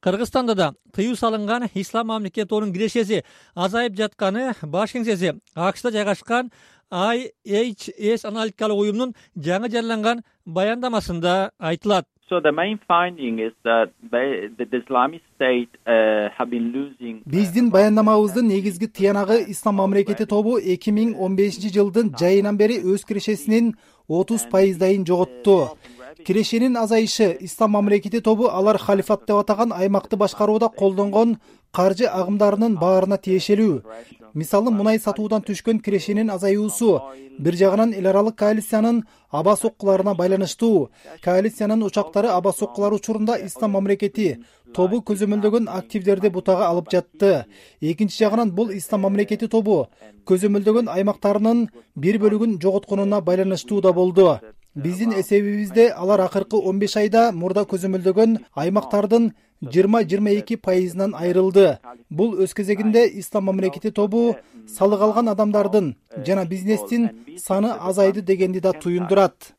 Кыргызстанда да тыюу салынган Ислам мамлекетинин кирешеси азайып жатканы баш кеңсеси АКШда жайгашкан IHS аналитикалык уюмунун жаңы жарыяланган баяндамасында айтылат. So the main finding is that the Islamic State have been losing. Биздин баяндамабыздын негизги тыянагы Ислам мамлекети тобу 2015-жылдын жайынан бери өз кирешесинин 30%дайын жоготту. Кирешенин азайышы Ислам мамлекети тобу алар халифат деп атаган аймакты башкарууда колдонгон каржы агымдарынын баарына тиешелүү. Мисалы мунай сатуудан түшкөн кирешенин азаюусу бир жагынан эл аралык коалициянын аба соккуларына байланыштуу. Коалициянын учактары аба соккулары учурунда Ислам мамлекети тобу көзөмөлдөгөн активдерди бутага алып жатты. Экинчи жагынан бул Ислам мамлекети тобу көзөмөлдөгөн аймактарынын бир бөлүгүн жоготконуна байланыштуу да болду. Биздин эсебибизде алар акыркы 15 айда мурда көзөмөлдөгөн аймактардын 20-22%нан айрылды. Бул өз кезегинде Ислам мамлекети тобу салык алган адамдардын жана бизнестин саны азайды дегенди да туюндурат.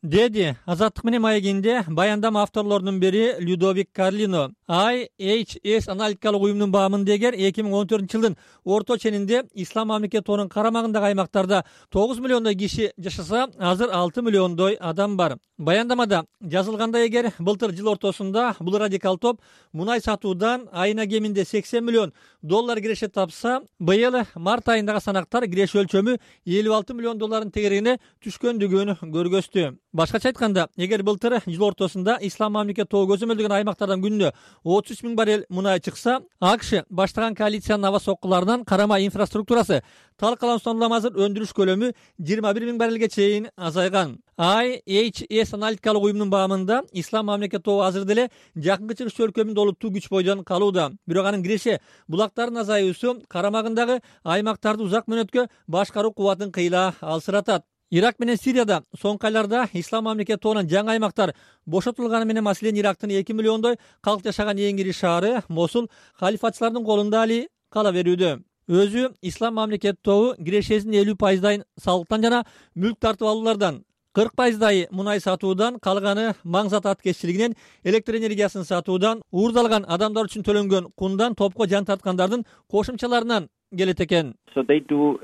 Деди Азаттык менен маегинде баяндама авторлорунун бири Людовик Карлино. IHS аналитикалык уюмунун баамындагы 2014-жылдын орто ченинде Ислам мамлекетинин карамагындагы аймактарда 9 миллиондой киши жашаса, азыр 6 миллиондой адам бар. Баяндамада жазылгандай эгер былтыр жыл ортосунда бул радикал топ мунай сатуудан айына кеминде $80 миллион киреше тапса, быйыл март айындагы санактар киреше өлчөмү $56 миллион тегерегине түшкөндүгүн көргөздү. Башкача айтканда, эгер былтыр жыл ортосунда Ислам мамлекети тобу көзөмөлдөгөн аймактардан күнүнө 33 000 баррель мунай чыкса, АКШ баштаган коалициянын аба соккуларынан карама инфраструктурасы талкалануусунан улам азыр өндүрүш көлөмү 21 000 баррелге чейин азайган. IHS аналитикалык уюмунун баамында Ислам мамлекети тобу азыр деле жакынкы чыгыш өлкөмүндө олуттуу күч бойдон калууда. Бирок анын киреше булактардын азаюусу карамагындагы аймактарды узак мөөнөткө башкаруу кубатын кыйла алсыратат. Ирак менен Сирияда соңку айларда Ислам мамлекети тобунан жаңы аймактар бошотулганы менен, маселен Ирактын 2 миллиондой калк жашаган эң ири шаары Мосул халифатчылардын колунда али кала берүүдө. Өзү Ислам мамлекети тобу кирешесинин 50%дайын салыктан жана мүлк тартып алуулардан, 40%дайы мунай сатуудан, калганы маң зат аткезчилигинен, электр энергиясын сатуудан, уурдалган адамдар үчүн төлөнгөн кундан, топко жан тарткандардын кошумчаларынан келет экен. So they do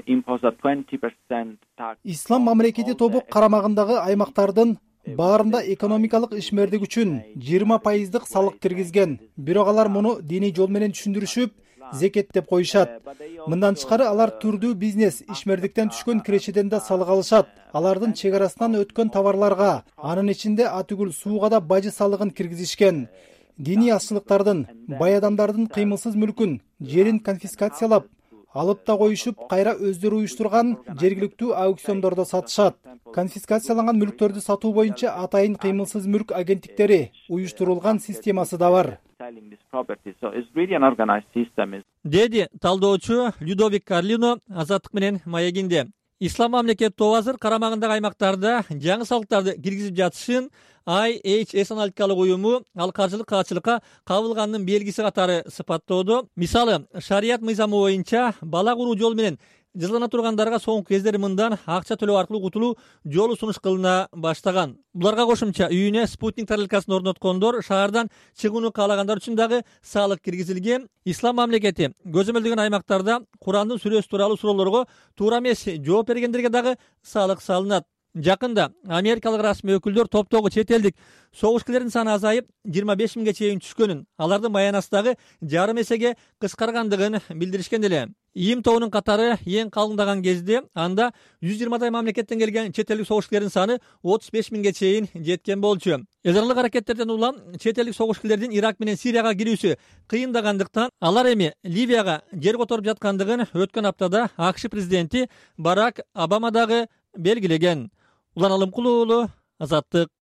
impose a 20% tax. Ислам мамлекети тобу карамагындагы аймактардын баарында экономикалык ишмердик үчүн 20%дык салык киргизген. Бирок алар муну диний жол менен түшүндүрүшүп, зекет деп коюшат. Мындан тышкары алар түрдүү бизнес ишмердиктен түшкөн кирешеден да салык алышат. Алардын чек арасынан өткөн товарларга, анын ичинде атүгүл сууга да бажы салыгын киргизишкен. Диний азчылыктардын, бай адамдардын кыймылсыз мүлкүн, жерин конфискациялап, алып да коюшуп, кайра өздөрү уюштурган жергиликтүү аукциондордо сатышат. Конфискацияланган мүлктөрдү сатуу боюнча атайын кыймылсыз мүлк агенттиктери уюштурулган системасы да бар. Деди талдоочу Людовик Карлино Азаттык менен маегинде. Ислам мамлекети тобу азыр карамагындагы аймактарда жаңы салыктарды киргизип жатышын IHS аналитикалык уюму ал каржылык каатчылыкка кабылганынын белгиси катары сыпаттоодо. Мисалы, шарият мыйзамы боюнча бала куруу жолу менен жазалана тургандарга соңку кездери мындан акча төлөө аркылуу кутулуу жолу сунуш кылына баштаган. Буларга кошумча үйүнө спутник тарелкасын орноткондор, шаардан чыгууну каалагандар үчүн дагы салык киргизилген. Ислам мамлекети көзөмөлдөгөн аймактарда Курандын сүрөсү тууралуу суроолорго туура эмес жооп бергендерге дагы салык салынат. Жакында америкалык расмий өкүлдөр топтогу чет элдик согушкерлердин саны азайып 25 000ге чейин түшкөнүн, алардын маянасы дагы жарым эсеге кыскаргандыгын билдиришкен эле. ИИМ тобунун катары эң калыңдаган кезде анда 120дай мамлекеттен келген чет элдик согушкерлердин саны 35 000ге чейин жеткен болчу. Эл аралык аракеттерден улам чет элдик согушкерлердин Ирак менен Сирияга кирүүсү кыйындагандыктан алар эми Ливияга жер которуп жаткандыгын өткөн аптада АКШ президенти Барак Обама дагы белгилеген. Улан Алымкулуу, Азаттык.